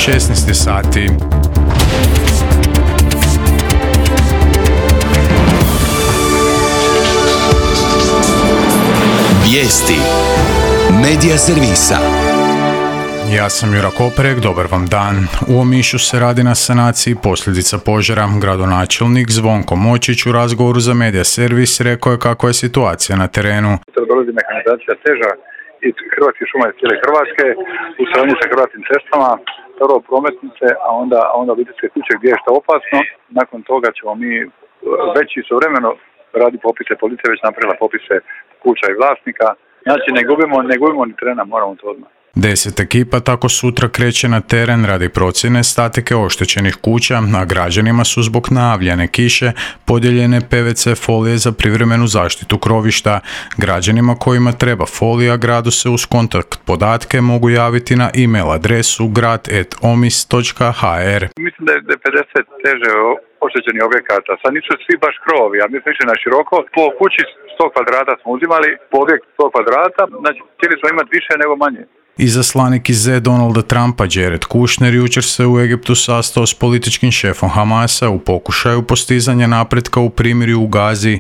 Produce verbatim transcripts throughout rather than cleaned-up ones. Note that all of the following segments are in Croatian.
šesnaest sati. Vijesti Medija servisa. Ja sam Jura Koperek, dobar vam dan. U Omišu se radi na sanaciji posljedica požara. Gradonačelnik Zvonko Močić u razgovoru za Medija servis rekao je kakva je situacija na terenu. Dolazi mehanizacija teža i Hrvatske šume iz cijele Hrvatske u suradnji sa Hrvatskim cestama, prvo prometnice, a onda, a onda obiteljske kuće gdje je što opasno. Nakon toga ćemo mi već istovremeno radi popise, policija već napravila popise kuća i vlasnika. Znači ne gubimo, ne gubimo ni trena, moramo to odmah. Deset ekipa tako sutra kreće na teren radi procjene statike oštećenih kuća, a građanima su zbog najavljene kiše podijeljene P V C folije za privremenu zaštitu krovišta. Građanima kojima treba folija gradu se uz kontakt podatke mogu javiti na e-mail adresu grad at omis točka h r. Mislim da je pedeset teže oštećenih objekata. Sad nisu svi baš krovovi, a mi smo išli na široko. Po kući sto kvadrata smo uzimali, po objekt sto kvadrata, znači htjeli smo imati više nego manje. Izaslanik iz Z Donalda Trumpa Jared Kushner jučer se u Egiptu sastao s političkim šefom Hamasa u pokušaju postizanja napretka u primirju u Gazi.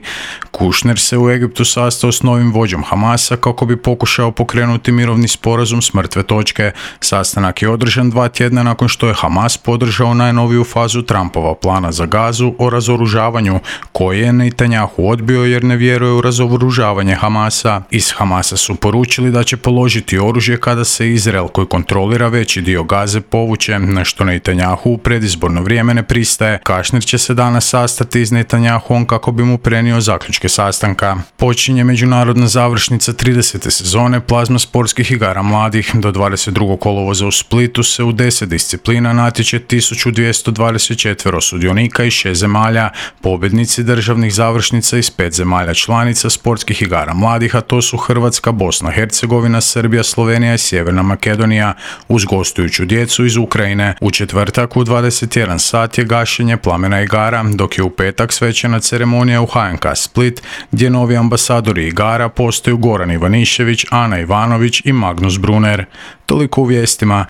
Kushner se u Egiptu sastao s novim vođom Hamasa kako bi pokušao pokrenuti mirovni sporazum s mrtve točke. Sastanak je održan dva tjedna nakon što je Hamas podržao najnoviju fazu Trumpova plana za Gazu o razoružavanju, koje je Netanjahu odbio jer ne vjeruje u razoružavanje Hamasa. Iz Hamasa su poručili da će položiti oružje kada se Izrael, koji kontrolira veći dio Gaze, povuče, na što Netanjahu u predizborno vrijeme ne pristaje. Kushner će se danas sastati s Netanjahom kako bi mu prenio zaključke sastanka. Počinje međunarodna završnica tridesete sezone plazma sportskih igara mladih. Do dvadeset drugog kolovoza u Splitu se u deset disciplina natječe tisuću dvjesto dvadeset četiri sudionika iz šest zemalja. Pobjednici državnih završnica iz pet zemalja članica sportskih igara mladih, a to su Hrvatska, Bosna, Hercegovina, Srbija, Slovenija i Sjeverna Makedonija, uz gostujuću djecu iz Ukrajine. U četvrtak u dvadeset jedan sat je gašenje plamena igara, dok je u petak svečana ceremonija u H N K Split, gdje novi ambasadori igara postaju Goran Ivanišević, Ana Ivanović i Magnus Brunner. Toliko u vijestima.